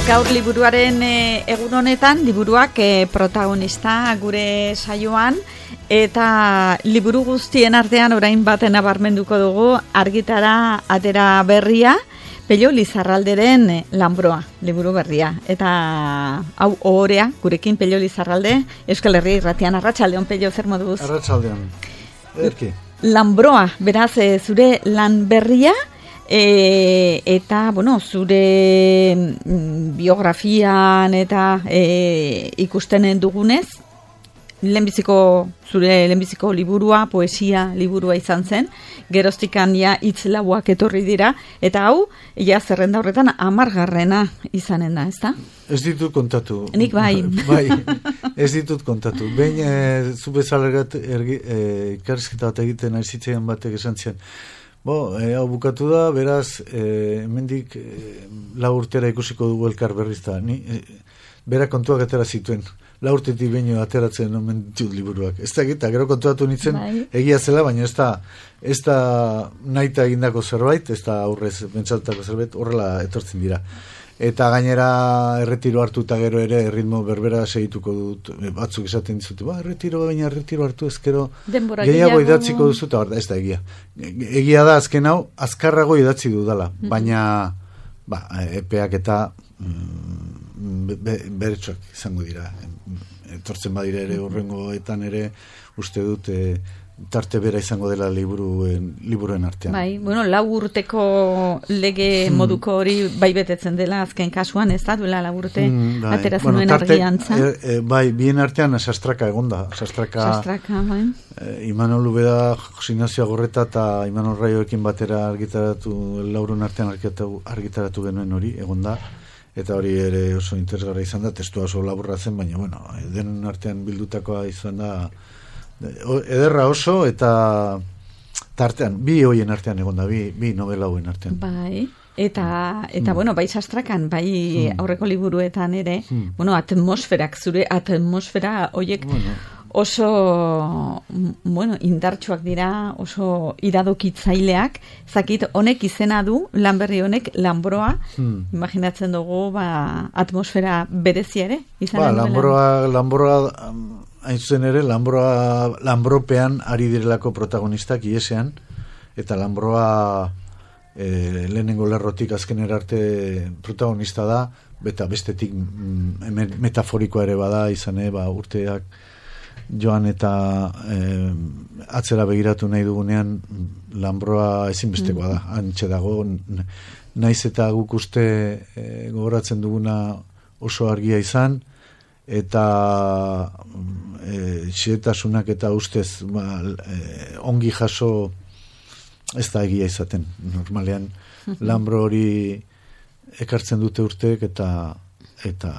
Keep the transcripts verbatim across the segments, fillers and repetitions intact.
Gaur liburuaren e, egun honetan, liburuak e, protagonista gure saioan, eta liburu guztien artean orain baten abarmenduko dugu argitara atera berria, Pello Lizarralderen e, Lanbroa, liburu berria. Eta hau ohorea, gurekin Pello Lizarralde, Euskal Herria Irratian. Arratsaldeon, Pello, zer moduz? Arratsaldeon. Erki. Lanbroa, beraz, e, zure lan berria, E, eta, bueno, zure biografian eta e, ikusten dugunez, lehenbiziko, zure lehenbiziko liburua, poesia liburua izan zen, geroztikan ja hitz lauak etorri dira, eta hau, ja zerrenda horretan amargarrena izanen da, ezta? Ez ditut kontatu. Nik bai. Bai, ez ditut kontatu. Behin, e, zu bezalegat e, ikarizketa bat egiten aizitzen batek esan zian, Bo, e, hau bukatu da, beraz, e, hemendik e, lau urtera ikusiko dugu elkar berriz da. Ni, e, bera kontuak atera zituen. Lau urtetik baino ateratzen omen ditut liburuak. Ez da egita, gero kontuatu nintzen, bai. Egia zela, baina ez da, ez da nahita egindako zerbait, ez da aurrez bentsatutako zerbait, horrela etortzen dira. Eta gainera erretiro hartu eta gero ere ritmo berbera segituko dut, batzuk esaten dizute, ba, erretiro, baina erretiro hartu ezkero gehiago idatziko duzu, eta ez da egia. Egia da azken hau, azkarrago idatzi dudala, baina ba, epeak eta mm, be, beretsuak izango dira. Etortzen badira ere horrengoetan ere uste dut e, tarte bera izango dela liburuen, liburuen artean. Bai, bueno, lau urteko lege moduko hori bai betetzen dela azken kasuan, ez da, duela lau urte mm, bai. Ateratzen bueno, nuen argiantza. E, e, bai, bien artean sastraka egonda. Sastraka, sastraka bai. E, Imanol Ubeda, Jose Ignacio Agorreta eta Imanol Raioekin batera argitaratu, laurun artean argitaratu, argitaratu genuen hori, egonda. Eta hori ere oso interesgarra izan da, testua oso laburra zen, baina, bueno, denen artean bildutakoa izan da, ederra oso, eta tartean, bi hoien artean egon da, bi, bi novela hoien artean. Bai, eta, eta mm. bueno, bai sastrakan, bai mm. aurreko liburuetan ere, mm. bueno, atmosferak, zure atmosfera hoiek bueno. oso, bueno, indartsuak dira, oso iradokitzaileak, zakit, honek izena du, lan berri honek, Lanbroa, mm. imaginatzen dugu, ba, atmosfera berezia ere, izan ba, Lanbroa, Lanbroa, hain zuzen ere, Lanbroa, Lanbropean ari direlako protagonistak iesean, eta Lanbroa e, lehenengo lerrotik azkenera arte protagonista da, eta bestetik mm, metaforikoa ere bada, izan ere, ba, urteak joan eta e, atzera begiratu nahi dugunean, Lanbroa ezinbestekoa da, antxe dago, naiz eta guk uste e, gogoratzen duguna oso argia izan, eta e, xehetasunak eta ustez ba, e, ongi jaso ez da egia izaten normalean Lanbro hori ekartzen dute urteek eta eta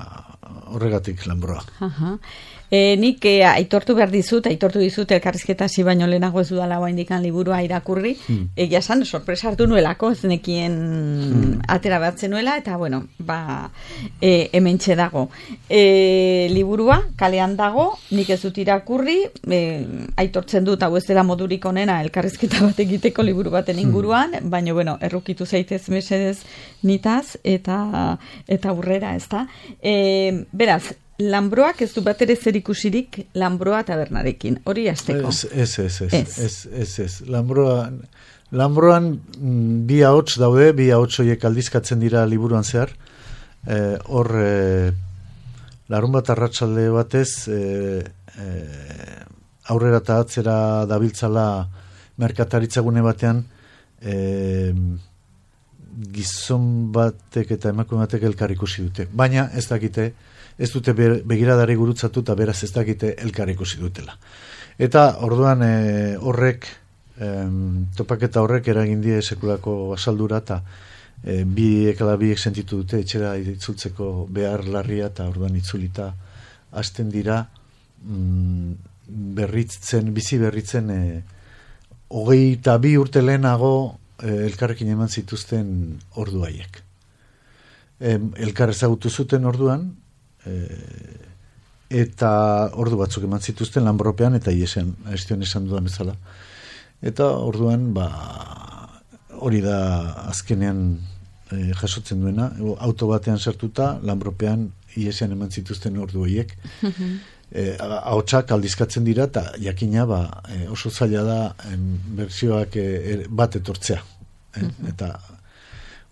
horregatik Lanbroa. Aha. E, nik e, aitortu behar dizut, aitortu dizut elkarrizketa hasi baino lehenago ez dudala oraindikan liburua irakurri, hmm. egia esan sorpresa hartu nuelako, ez nekien hmm. atera batzen nuela, eta bueno, ba, e, hementxe dago. E, liburua, kalean dago, nik ez dut irakurri, e, aitortzen dut, hau ez dela modurik onena elkarrizketa bat egiteko liburu baten inguruan, hmm. baina bueno, errukitu zaitez mesedez nitaz, eta eta aurrera, ez da. E, beraz, Lanbroak ez du bat ere zer ikusirik Lanbroa tabernarekin, hori hasteko. Ez, ez, ez, ez, ez, ez, ez. Lanbroa, Lanbroan bi ahots daude, bi ahots horiek aldizkatzen dira liburuan zehar. E, hor, e, larun bat arratsalde batez, e, e, aurrera eta atzera dabiltzala merkataritzagune batean, e, gizon batek eta emakume batek elkar ikusi dute. Baina ez dakite, ez dute begiradari gurutzatu eta beraz ez dakite elkar ikusi dutela. Eta orduan e, horrek, e, topaketa horrek eragin die sekulako asaldura eta e, bi ekala biek sentitu dute etxera itzultzeko behar larria eta orduan itzulita hasten dira mm, berritzen, bizi berritzen e, hogei eta bi urte lehenago e, elkarrekin eman zituzten ordu haiek. E, elkar ezagutu zuten orduan, E, eta ordu batzuk eman zituzten Lanbropean eta iesean, estion esan dudan bezala. Eta orduan, ba, hori da azkenean e, jasotzen duena, auto batean sartuta, Lanbropean iesian eman zituzten ordu horiek, e, ahotsak aldizkatzen dira, eta jakina ba, e, oso zaila da em, bertsioak e, bat etortzea. E, eta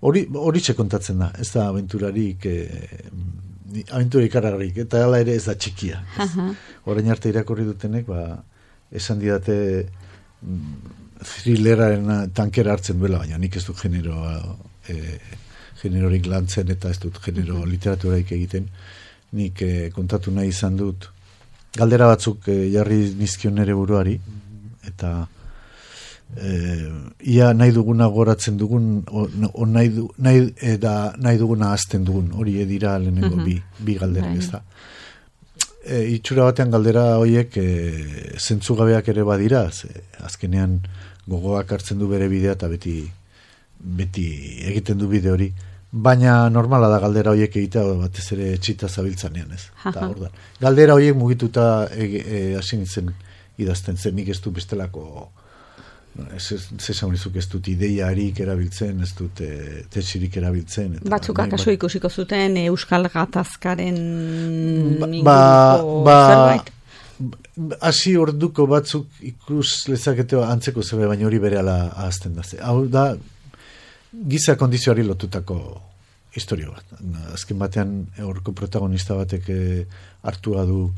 hori hori kontatzen da, ez da aventurarik e, aventura ikaragarrik, eta hala ere ez da txikia. Orain arte irakurri dutenek, ba, esan didate thrilleraren tankera hartzen duela, baina nik ez dut genero e, generorik lantzen eta ez dut genero literaturaik egiten. Nik e, kontatu nahi izan dut galdera batzuk e, jarri nizkion nere buruari, eta e, ia nahi duguna goratzen dugun, o, o nahi, du, nahi, eda, nahi duguna azten dugun, hori edira lehenengo uh-huh. bi, bi galderak ez da. E, itxura batean galdera horiek e, zentzugabeak ere badira, ze, azkenean gogoak hartzen du bere bidea eta beti, beti egiten du bide hori, baina normala da galdera horiek egitea batez ere etxita zabiltzanean ez. Eta, ordan, galdera horiek mugituta hasi e, nintzen idazten zen, nik ez du bestelako zesaunizuk ez dut ideiarik erabiltzen, ez dut e, tetsirik erabiltzen. Eta, batzuk akaso ikusiko zuten Euskal Gatazkaren ba, ba, zerbait? Hasi orduko batzuk ikus lezakete antzeko zerbait, baina hori berehala ahazten da. Hau da, giza kondizioari lotutako historia bat. Azken batean horko protagonista batek e, hartua du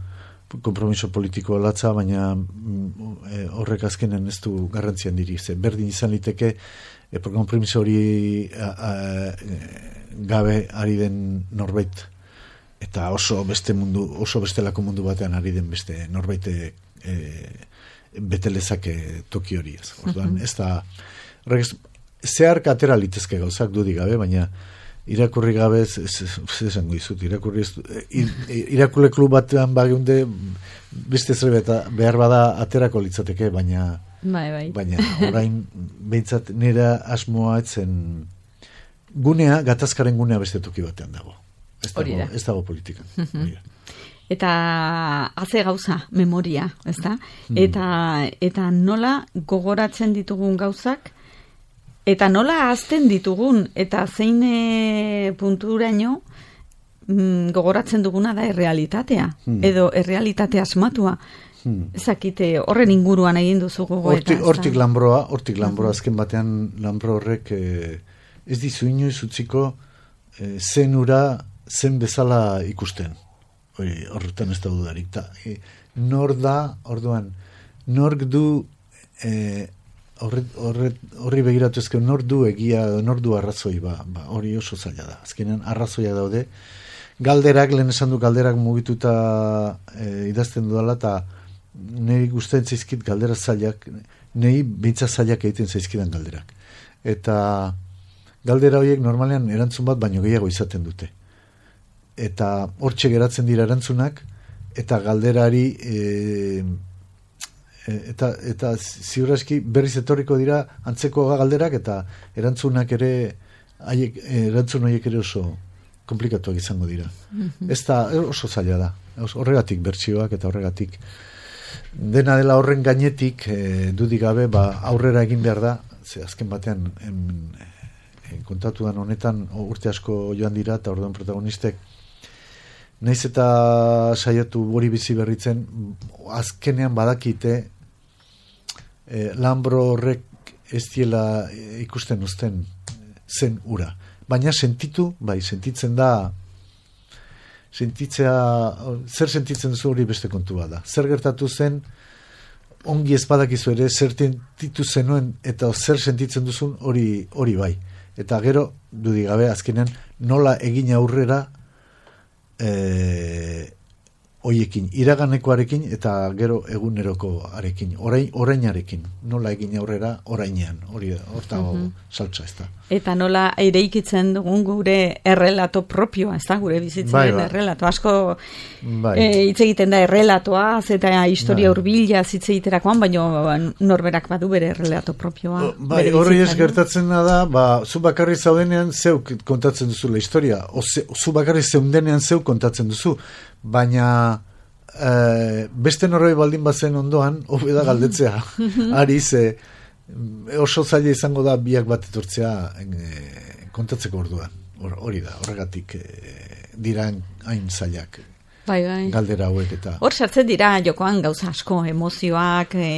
konpromiso politiko latza, baina e, horrek azkenen ez du garrantzian diri. Ze, berdin izan liteke e, konpromiso hori a, a, gabe ari den norbait eta oso beste mundu, oso bestelako mundu batean ari den beste norbait e, betelezake toki hori ez. Orduan, ez da horrek zeharka atera litezke gauzak dudik gabe, baina irakurri gabe ez esango izut, irakurri irakurle klub batean bagiunde beste zerbait behar bada aterako litzateke, baina bai, bai. baina orain behintzat nera asmoa etzen gunea, gatazkaren gunea beste toki batean dago. Ez dago, ez dago politikan. Eta haze gauza, memoria, ez da? Eta, eta nola gogoratzen ditugun gauzak, eta nola azten ditugun, eta zein e, punturaino mm, gogoratzen duguna da errealitatea, hmm. edo errealitate asmatua. Hmm. Ezakite, horren inguruan egin duzu gogoeta. Hortik, hortik lanbroa, hortik lanbroa, azken batean lanbro horrek eh, ez dizu inoiz utziko eh, zen ura zen bezala ikusten. Hori, horretan ez da dudarik. Ta, eh, nor da, orduan, nork du eh, Horri, horri, horri begiratu ezken nor du egia, nor du arrazoi, ba, ba, hori oso zaila da. Azkenean arrazoia daude. Galderak, lehen esan du galderak mugituta e, idazten dudala, eta niri gustatzen zaizkit galdera zailak, niri bintza zailak egiten zaizkidan galderak. Eta galdera horiek normalean erantzun bat baino gehiago izaten dute. Eta hortxe geratzen dira erantzunak, eta galderari e, eta eta ziurraski berriz etorriko dira antzeko galderak eta erantzunak ere haiek erantzun horiek ere oso komplikatuak izango dira. Mm-hmm. Ez da oso zaila da. Horregatik bertsioak eta horregatik dena dela horren gainetik e, dudik gabe ba, aurrera egin behar da. Ze azken batean en, en, kontatuan honetan urte asko joan dira eta orduan protagonistek naiz eta saiatu hori bizi berritzen azkenean badakite eh, Lanbro horrek ez diela ikusten uzten zen ura. Baina sentitu, bai, sentitzen da sentitzea, zer sentitzen duzu hori beste kontua da. Zer gertatu zen ongi ez badakizu ere zer sentitu zenuen eta zer sentitzen duzun hori hori bai. Eta gero, dudik gabe, azkenean nola egin aurrera Eh, oiekin, iraganekoarekin eta gero egunerokoarekin, orain, orainarekin, nola egin aurrera orainean, hori hortago uh-huh. saltza ez da. Eta nola eireikitzen dugun gure errelato propioa, ez da, gure bizitzen bai, bai. Errelato, asko bai. e, hitz egiten da errelatoaz eta historia bai. Hurbila hitz egiterakoan, baina norberak badu bere errelato propioa. O, bai, hori ez gertatzen da, ba, zu bakarri zaudenean zeuk kontatzen duzu la historia, o ze, zu bakarri zeundenean zeuk kontatzen duzu, baina e, beste norroi baldin bazen ondoan, hobe da galdetzea, ari ze oso zaila izango da biak bat etortzea e, kontatzeko orduan. Hori da, horregatik e, dira hain zailak. Bai, bai. Galdera hauek eta... Hor sartzen dira jokoan gauza asko, emozioak, e,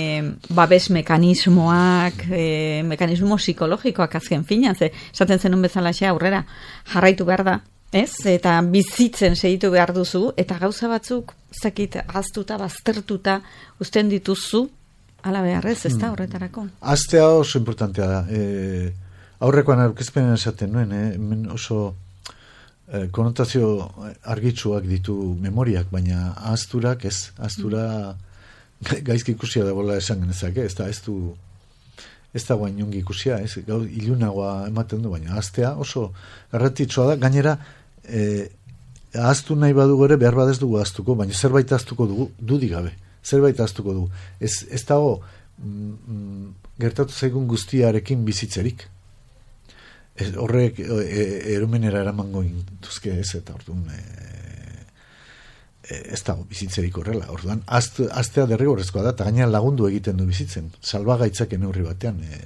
babes mekanismoak, e, mekanismo psikologikoak azken fina, ze, esaten zenun bezalaxe aurrera, jarraitu behar da, ez? Eta bizitzen segitu behar duzu, eta gauza batzuk, zakit, aztuta, baztertuta, uzten dituzu, ala beharrez, ez da horretarako? Aztea oso importantea da. E, aurrekoan aurkezpenen esaten nuen, eh? Hemen oso... Eh, konotazio argitsuak ditu memoriak, baina ahazturak ez, ahaztura gaizki ikusia da bola esan genezake, ez da, ez du ez da guain jongi ikusia, ez, gau, ilunagoa ematen du, baina ahaztea oso garrantzitsua da, gainera eh, ahaztu nahi badu gore, behar badez dugu ahaztuko, baina zerbait ahaztuko dugu, dudik gabe, zerbait ahaztuko dugu, ez, ez dago mm, gertatu zaigun guztiarekin bizitzerik. Ez, horrek e, e, erumenera eramango intuzke ez, eta orduan e, e, ez dago bizitzerik horrela. Orduan, aztea derrigorrezkoa da, eta gaina lagundu egiten du bizitzen. Salbagaitzak neurri batean e,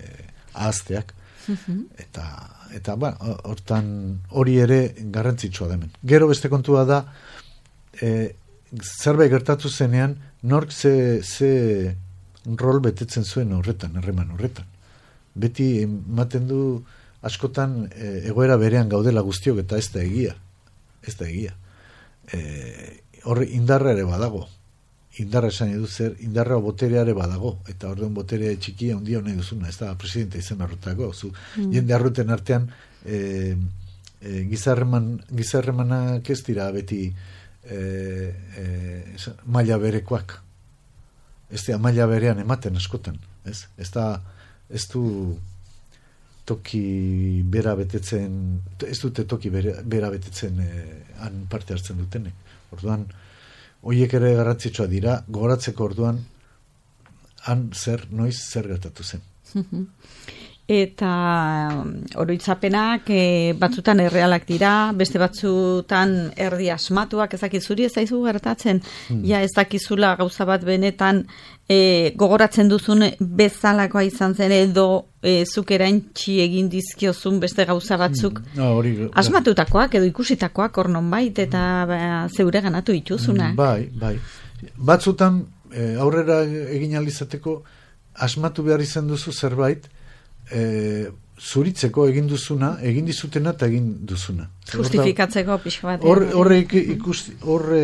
ahazteak. Uh-huh. Eta, eta ba, hortan hori ere garrantzitsua da hemen. Gero beste kontua da, e, zerbait gertatu zenean, nork ze, ze rol betetzen zuen horretan, erreman horretan. Beti ematen du askotan e, egoera berean gaudela guztiok eta ez da egia. Ez da egia. E, horre indarra ere badago. Indarra esan edu zer, indarra boterea ere badago. Eta orduan boterea txikia ondia nahi duzuna. Ez da presidente izan arrutako. Zu, mm. Jende arruten artean e, e, gizarreman, gizarremanak ez dira beti e, e, maila berekoak. Ez da maila berean ematen askotan. Ez, ez da ez du toki bera betetzen, ez dute toki bera, bera betetzen eh, han parte hartzen dutenek. Orduan, horiek ere garrantzitsua dira, gogoratzeko orduan, han zer, noiz zer gertatu zen. Eta oroitzapenak e, batzutan errealak dira, beste batzutan erdi asmatuak, ezakit zuri ez daizu gertatzen, hmm. ja ez dakizula gauza bat benetan e, gogoratzen duzun bezalakoa izan zen edo e, zuk eraintzi egin dizkiozun beste gauza batzuk hmm. no, hori, asmatutakoak edo ikusitakoak hor nonbait eta ba, zeure ganatu dituzuna. Bai, bai. Batzutan e, aurrera egin alizateko asmatu behar izan duzu zerbait, E, zuritzeko egin duzuna, egin dizutena eta egin duzuna. Justifikatzeko pixka bat. Horre ikusti, horre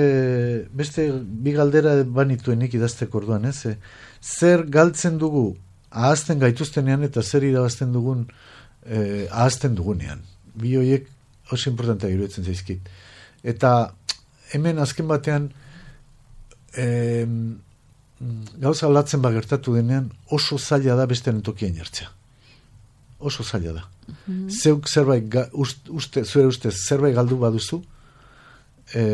beste bi galdera banituenik idazteko orduan, ez? E, zer galtzen dugu ahazten gaituztenean eta zer irabazten dugun e, ahazten dugunean. Bi horiek oso importantea iruditzen zaizkit. Eta hemen azken batean e, gauza aldatzen bagertatu denean oso zaila da bestean tokian jartzea. Oso zaila da. Mm-hmm. Zeuk zerbait, ga, uste, zure ustez, zerbait galdu baduzu, e,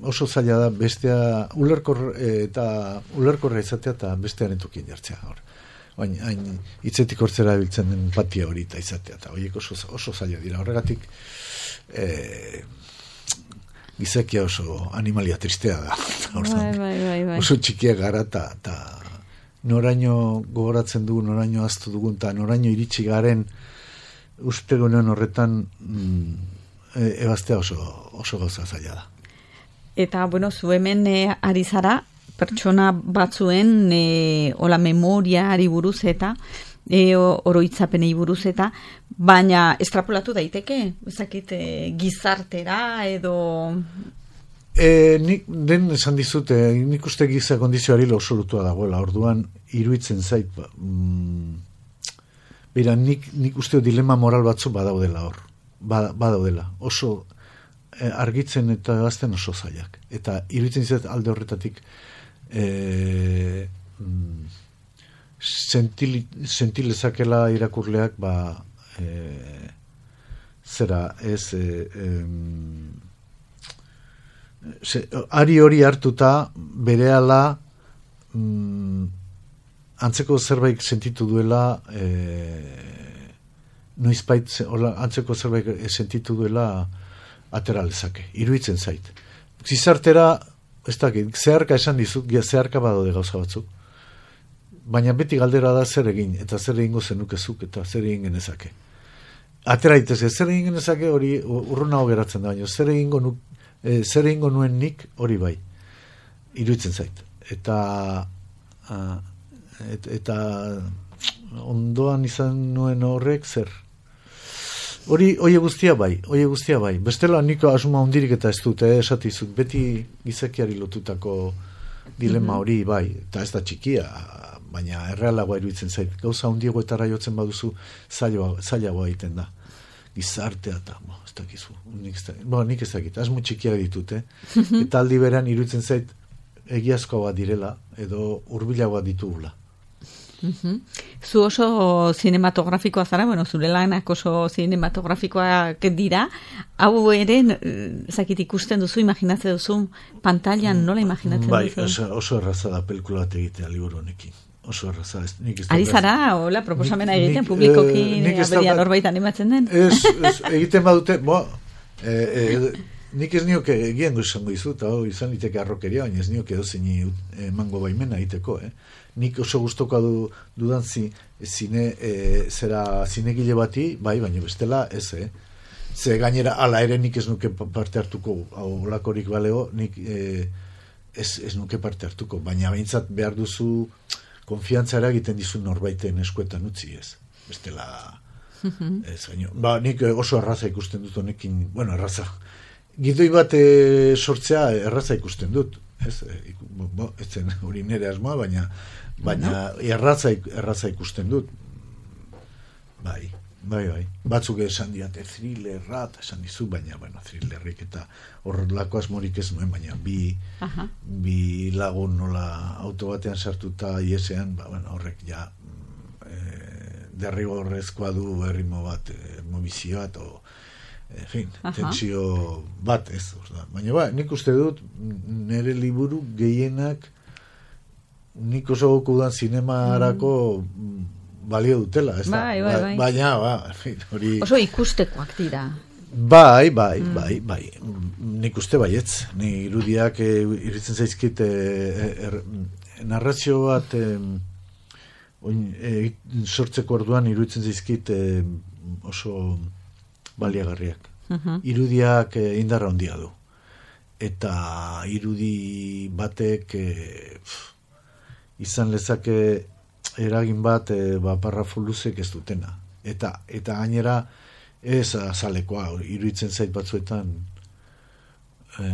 oso zaila da bestea ulerkor, e, eta ulerkorra izatea eta bestearen tokien jartzea. Baina, hain hitzetik hortzera biltzen den patia hori eta izatea, eta horiek oso, oso zaila dira. Horregatik, e, gizakia oso animalia tristea da. Bai, bai, bai, bai. Oso txikia gara eta noraino gogoratzen dugu, noraino aztu dugun, eta noraino iritsi garen uste gunean horretan mm, e, ebaztea oso, oso gauza zaila da. Eta, bueno, zu hemen e, ari zara, pertsona batzuen e, ola memoriari buruz eta e, oroitzapenei buruz eta, baina estrapolatu daiteke, ezakit e, gizartera edo... E, nik den esan dizute, nik uste giza kondizioari absolutua dagoela, orduan iruitzen zait, ba, mm, bera, nik, nik uste dilema moral batzu badaudela hor, ba, badaudela, oso e, argitzen eta gazten oso zailak, eta iruitzen zait alde horretatik e, mm, sentilezakela irakurleak, ba, e, zera, ez, e, e, Se, ari hori hartuta berehala mm, antzeko zerbait sentitu duela e, noizbait antzeko zerbait sentitu duela atera lezake, iruditzen zait. Gizartera, ez dakit, zeharka esan dizut, zeharka badaude gauza batzuk, baina beti galdera da zer egin, eta zer egingo zenukezuk, eta zer egin genezake. atera itezke, zer egin genezake hori urrunago geratzen da, baina zer egingo nu, e, zer egingo nuen nik hori bai, iruditzen zait. Eta uh, et, eta ondoan izan nuen horrek zer. Hori, oie guztia bai, oie guztia bai. Bestela niko asuma hundirik eta ez dut, eh, esatizut, beti gizakiari lotutako dilema hori bai, eta ez da txikia, baina errealagoa iruditzen zait. Gauza hundiagoetara jotzen baduzu, zailagoa egiten da. Gizartea eta, bo, ez dakizu, nik ez dakit, bo, nik ez dakit, asmo txikia ditut, eh? Eta aldi beran iruditzen zait, egiazkoa direla, edo hurbilagoa ditugula. Uh-huh. Zu oso zinematografikoa zara, bueno, zure lanak oso zinematografikoak dira, hau ere, zakit ikusten duzu, imaginatzen duzu, pantailan nola imaginatzen bai, duzu? Bai, oso, oso erraza da pelikula bat egitea liburu honekin. Oso erraza. Ez, nik ez Ari zara, hola, proposamena egiten publikoki, eh, aberia norbait animatzen den? Ez, ez, egiten badute, bo, eh, eh, nik ez nioke egiengo izango izut, hau izan liteke arrokeria, baina ez nioke dozein emango baimena egiteko, eh? Nik oso gustoko du, dudan zi, zine, e, zera zinegile bati, bai, baina bestela ez, eh? Ze gainera, ala ere nik ez nuke parte hartuko, hau lakorik balego, nik e, ez, ez nuke parte hartuko, baina behintzat behar duzu konfiantzara egiten dizu norbaiten eskuetan utzi, ez? Bestela, ez, baina, ba, nik oso erraza ikusten dut honekin, bueno, erraza, gidoi bat e, sortzea erraza ikusten dut, ez, e, bo, ez zen hori nire asmoa, baina baina no? erraza, erraza ikusten dut, bai, bai, bai, batzuk esan diate thrillerra, esan dizu, baina, bueno, thrillerrik eta horrelako asmorik ez nuen, baina bi, bi lagun nola auto batean sartuta iesean, ba, bueno, horrek ja e, derrigorrezkoa du erritmo bat, erritmo bat, o en fin, tentsio bat ez, baina ba, nik uste dut nire liburu gehienak nik oso gokudan zinemarako mm. balio dutela, ez da? Bai, bai, bai. Baina, ba, en fin, hori... Oso ikustekoak dira. Bai, bai, mm. bai, bai. Nik uste baietz. Ni irudiak e, iritzen zaizkit e, er, narrazio bat e, oin, e, sortzeko orduan iruditzen zaizkit e, oso baliagarriak. Uh-huh. Irudiak e, indarra handia du. Eta irudi batek e, pff, izan lezake eragin bat e, ba, parrafo luzek ez dutena. Eta, eta gainera ez azalekoa, iruditzen zait batzuetan e,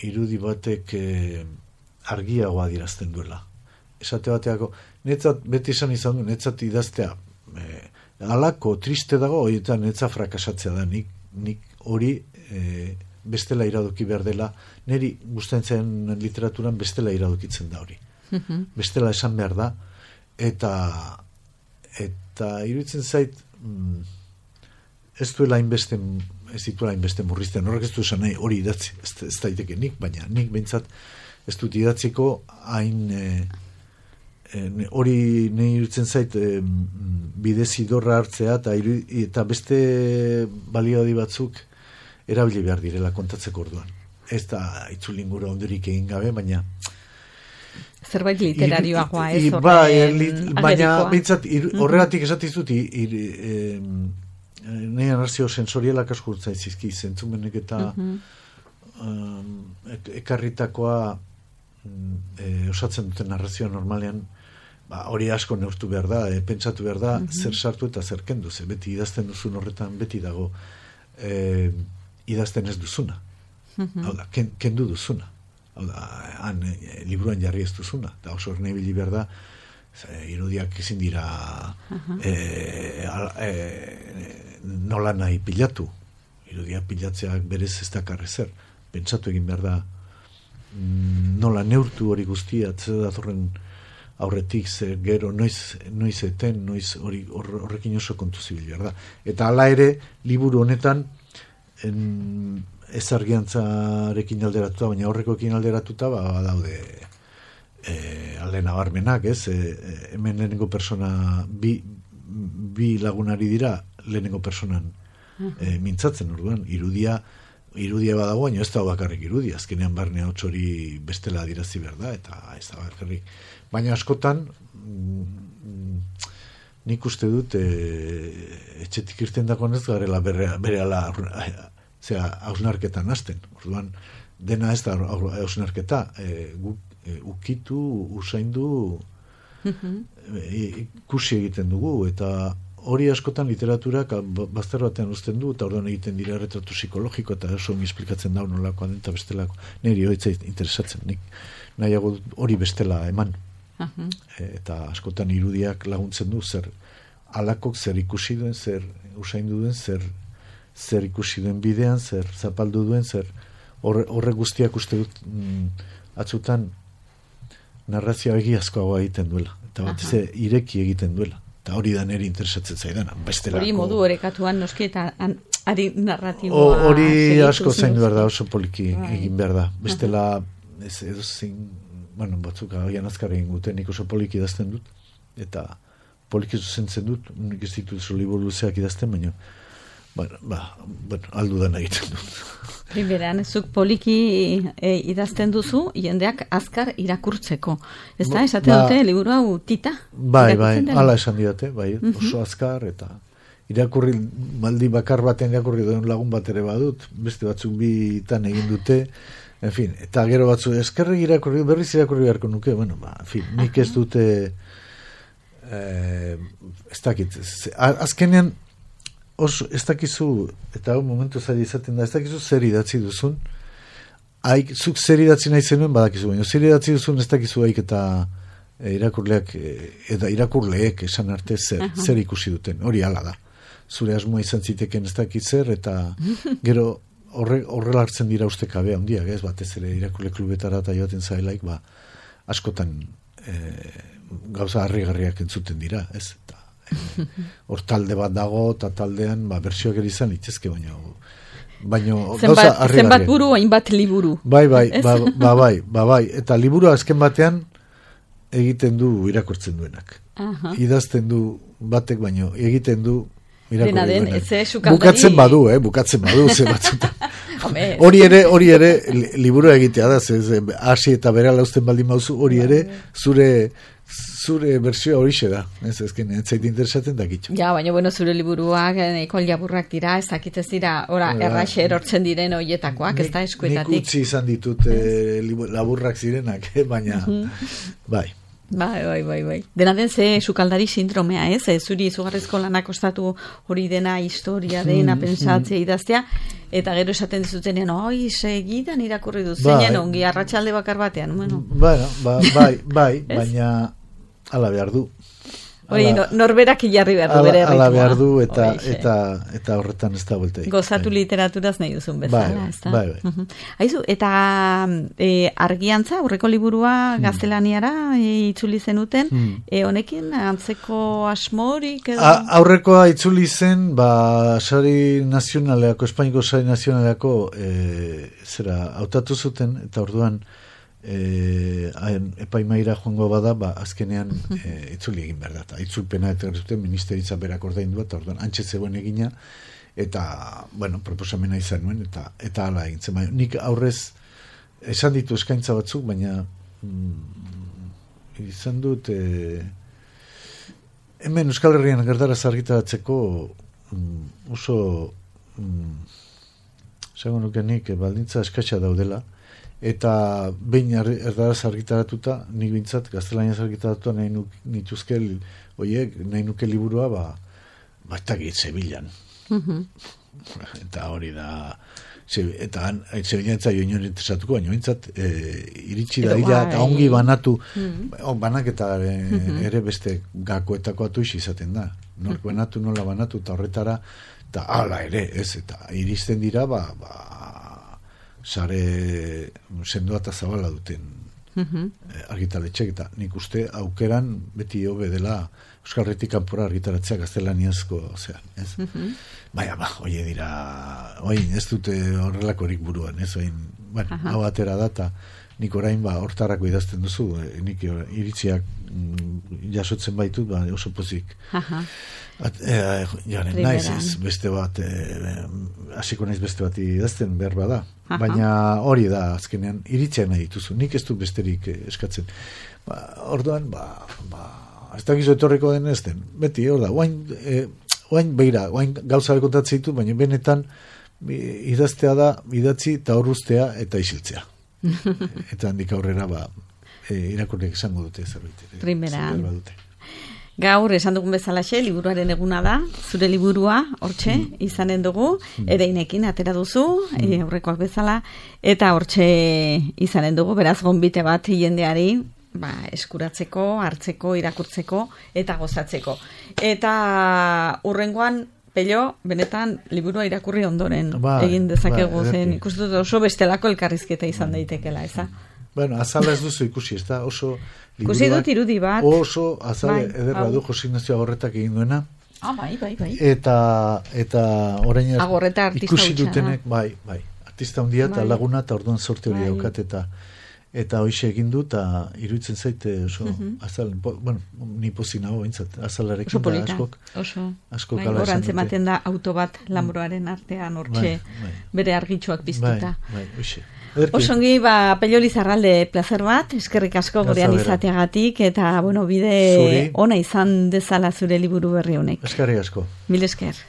irudi batek e, argiagoa dirazten duela. Esate bateako, netzat, beti esan izan du, netzat idaztea e, alako triste dago, horietan netza frakasatzea da, nik, nik hori e, bestela iradoki behar dela, niri gustatzen literaturan bestela iradokitzen da hori. Uh-huh. Bestela esan behar da, eta eta iruditzen zait mm, ez duela hainbeste ez dituela hainbeste murrizten, horrek ez du esan nahi hori idatzi, ez, ez daiteke nik, baina nik behintzat ez dut idatziko hain e, hori nahi iruditzen zait e, bidezidorra hartzea eta, iru, eta beste baliabide batzuk erabili behar direla kontatzeko orduan. Ez da itzulingura ondurik egin gabe, baina zerbait literarioagoa ez horren bai, baina bintzat, horregatik esatizut nahi anartzio sensorialak asko zizki, zentzumenek eta uh-huh. um, ekarritakoa e, osatzen duten narrazioa normalean ba, hori asko neurtu behar da, e, pentsatu behar da, uh-huh. zer sartu eta zer kendu, ze beti idazten duzun horretan beti dago e, idazten ez duzuna. Uh-huh. Hau da, ken, kendu duzuna. Hau da, han e, liburuan jarri ez duzuna. Eta oso erne ibili behar da, ze, irudiak ezin dira uh-huh. e, al, e, nola nahi pilatu. Irudiak pilatzeak berez ez dakarre zer. Pentsatu egin behar da nola neurtu hori guztia, zer datorren aurretik, zer gero, noiz, noiz eten, noiz hori horrekin oso kontu zibil behar da. Eta hala ere, liburu honetan en, ez argiantzarekin alderatuta, baina horrekoekin alderatuta, ba, daude e, alde nabarmenak, ez? E, hemen lehenengo persona, bi, bi lagunari dira lehenengo personan e, mintzatzen, orduan, irudia, irudia badago, baina ez da bakarrik irudia, azkenean barne hotz hori bestela adirazi behar da, eta ez da bakarrik. Baina askotan, mm, nik uste dut e, etxetik irten dagoenez garela berehala zera hausnarketan hasten. Orduan dena ez da hausnarketa, e, guk e, ukitu, usaindu, e, ikusi egiten dugu, eta hori askotan literaturak bazter batean uzten du, eta orduan egiten dira retratu psikologiko, eta oso ongi esplikatzen da nolakoan den, eta bestelako. Niri hori interesatzen, nik nahiago hori bestela eman. Uh-huh. E, eta askotan irudiak laguntzen du, zer alakok zer ikusi duen, zer usaindu duen, zer, zer ikusi duen bidean, zer zapaldu duen, zer horre, horre guztiak uste dut mm, atzutan narrazioa egiazkoagoa egiten duela, eta bat ze ireki egiten duela. Eta hori da niri interesatzen zaidan, bestelako. Hori modu orekatuan noski eta an, ari narratiboa. Hori asko zain behar da, oso poliki right. egin behar da. Bestela, ez, edo zein, bueno, batzuk agian azkar egin guten, nik oso poliki idazten dut, eta poliki zuzentzen dut, nik ez ditut oso liburu luzeak idazten, baina, bueno, ba, bueno, aldudan egiten dut. Primeran, zuk poliki e, idazten duzu, jendeak azkar irakurtzeko. Ez da, esate ba, dute, liburu hau tita? Bai, bai, ala esan didate, bai, uh-huh. oso azkar, eta irakurri, maldi bakar baten irakurri duen lagun bat ere badut, beste batzuk bitan egin dute, en fin, eta gero batzu, eskerrik irakurri, berriz irakurri beharko nuke, bueno, ba, en fin, nik ez dute, eh, ez dakit, azkenean, oso, ez dakizu, eta hau momentu zaila izaten da, ez dakizu zer idatzi duzun, haik, zuk zer idatzi nahi zenuen badakizu, baina zer idatzi duzun ez dakizu haik eta e, irakurleak, e, eta irakurleek esan arte zer, uh-huh. zer ikusi duten, hori hala da. Zure asmoa izan ziteken ez dakit zer, eta gero horre, horrela hartzen dira uste kabea handiak, ez batez ere irakurle klubetara eta joaten zailaik, ba, askotan e, gauza harrigarriak entzuten dira, ez, eta hor talde bat dago, eta taldean ba, bersioak ere izan litezke, baina baina gauza harrigarria. Zenbat buru, hainbat liburu. Bai, bai, ba, ba, bai, ba, bai, eta liburu azken batean egiten du irakurtzen duenak. Uh-huh. Idazten du batek, baino egiten du irakurtzen duenak. Bukatzen badu, eh, bukatzen badu, ze batzutan. Hori ere, hori ere, liburu egitea da, ze hasi eta berala uzten baldin mauzu, hori ere, zure zure bersioa horixe da, ez ezken, ez zait interesatzen dakitxo. Ja, baina, bueno, zure liburuak, ekol jaburrak dira, ez dakitez dira, ora, erraxe erortzen diren horietakoak, ez da eskuetatik. Nik utzi izan ditut eh, laburrak zirenak, eh, baina, bai. Bai, bai, bai, bai. Dena den ze sukaldari sindromea, ez? E, zuri izugarrizko lanak ostatu hori dena historia dena, pentsatzea idaztea, eta gero esaten dizutenean, oi, segidan irakurri dut, bai. Zeinen ongi, arratsalde bakar batean, bueno. Bueno, ba, bai, bai, baina ala behar du. Hori, no, norberak jarri behar du bere ritmoa. Ala behar du, eta, eta, eta horretan ez da volteik. Gozatu bai. Literaturaz nahi duzun bezala, bai, ez da? Bai, bai. Uh-huh. Aizu, eta e, argiantza, aurreko liburua hmm. gaztelaniara e, itzuli zenuten, hmm. e, honekin antzeko asmorik edo? A, aurrekoa itzuli zen, ba, sari nazionaleako, Espainiko sari nazionaleako, e, zera, hautatu zuten, eta orduan, E, epaimaira joango bada, ba, azkenean e, itzuli egin behar da, eta itzulpena eta zuten ministeritza berak ordaindu bat, orduan antxe zegoen egina, eta, bueno, proposamena izan nuen, eta eta hala egin zen, baina nik aurrez esan ditu eskaintza batzuk, baina mm, izan dut e, hemen Euskal Herrian gertaraz argitaratzeko mm, oso mm, esango nuke nik baldintza eskatsa daudela, eta behin erdaraz argitaratuta, nik bintzat, gaztelaniaz argitaratuta nahi nuk, nituzke, oiek, nahi nuke liburua, ba, bat egit zebilan. Uh-huh. Eta hori da, ze, eta zebilan etza joan joan interesatuko, baina bintzat, e, iritsi da, ira, eta ongi banatu, uh-huh. banak eta e, uh-huh. ere beste gakoetako atu izaten da. Nork uh-huh. banatu, nola banatu, eta horretara, eta ala ere, ez, eta iristen dira, ba, ba, sare sendoa eta zabala duten uh-huh. argitaletxek, eta nik uste aukeran beti hobe dela Euskal Herritik kanpora argitaratzea gaztelaniazko, ozean, ez? Uh-huh. Baina, ba, oie dira, oin, ez dute horrelakorik buruan, ez? Oin, bueno, uh-huh. hau atera da, eta nik orain, ba, hortarako idazten duzu, e, nik iritziak mm, jasotzen baitut, ba, oso pozik. Uh-huh. At, e, jaren, naiz ez, beste bat, hasiko e, naiz beste bat idazten behar bada. Uh-huh. Baina hori da, azkenean, iritzea nahi dituzu. Nik ez du besterik eskatzen. Ba, orduan, ba, ba, ez dakizu etorriko den ez den, beti, hor da, oain, e, oain beira, oain gauza kontatzen ditu, baina benetan idaztea da, idatzi eta horruztea eta isiltzea. Eta handik aurrera, ba, e, irakurriak esango dute zerbait. Primera. Gaur, esan dugun bezalaxe, liburuaren eguna da, zure liburua, hortxe, mm. izanen dugu, mm. ereinekin atera duzu, mm. e, aurrekoak bezala, eta hortxe izanen dugu, beraz gonbite bat jendeari, ba, eskuratzeko, hartzeko, irakurtzeko, eta gozatzeko. Eta urrengoan, Pello, benetan, liburua irakurri ondoren ba, egin dezakegu ba, zen, ikustut oso bestelako elkarrizketa izan daitekela, eza? Bueno, azala ez duzu ikusi, ez da, oso... Ikusi dut irudi bat. Oso azale bai, ederra du Jose Ignacio Agorretak egin duena. Ah, bai, bai, bai. Eta, eta orain Agorreta artista ikusi dutenek, bai, bai. Artista handia eta bai. Laguna eta orduan sorte hori bai. Daukat eta eta hoixe egin du eta iruditzen zaite oso uh-huh. azal, bueno, ni pozik nago bintzat, azalarekin da askok. Oso askok bai, ala esan dute. Ematen da auto bat Lanbroaren artean hortxe bai, bai. Bere argitxoak piztuta. Bai, bai, hoixe. Osongi, ba, Pello Lizarralde placer bat, eskerrik asko gurean izateagatik, eta, bueno, bide Zuri. Ona izan dezala zure liburu berri honek. Eskerrik asko. Mil esker.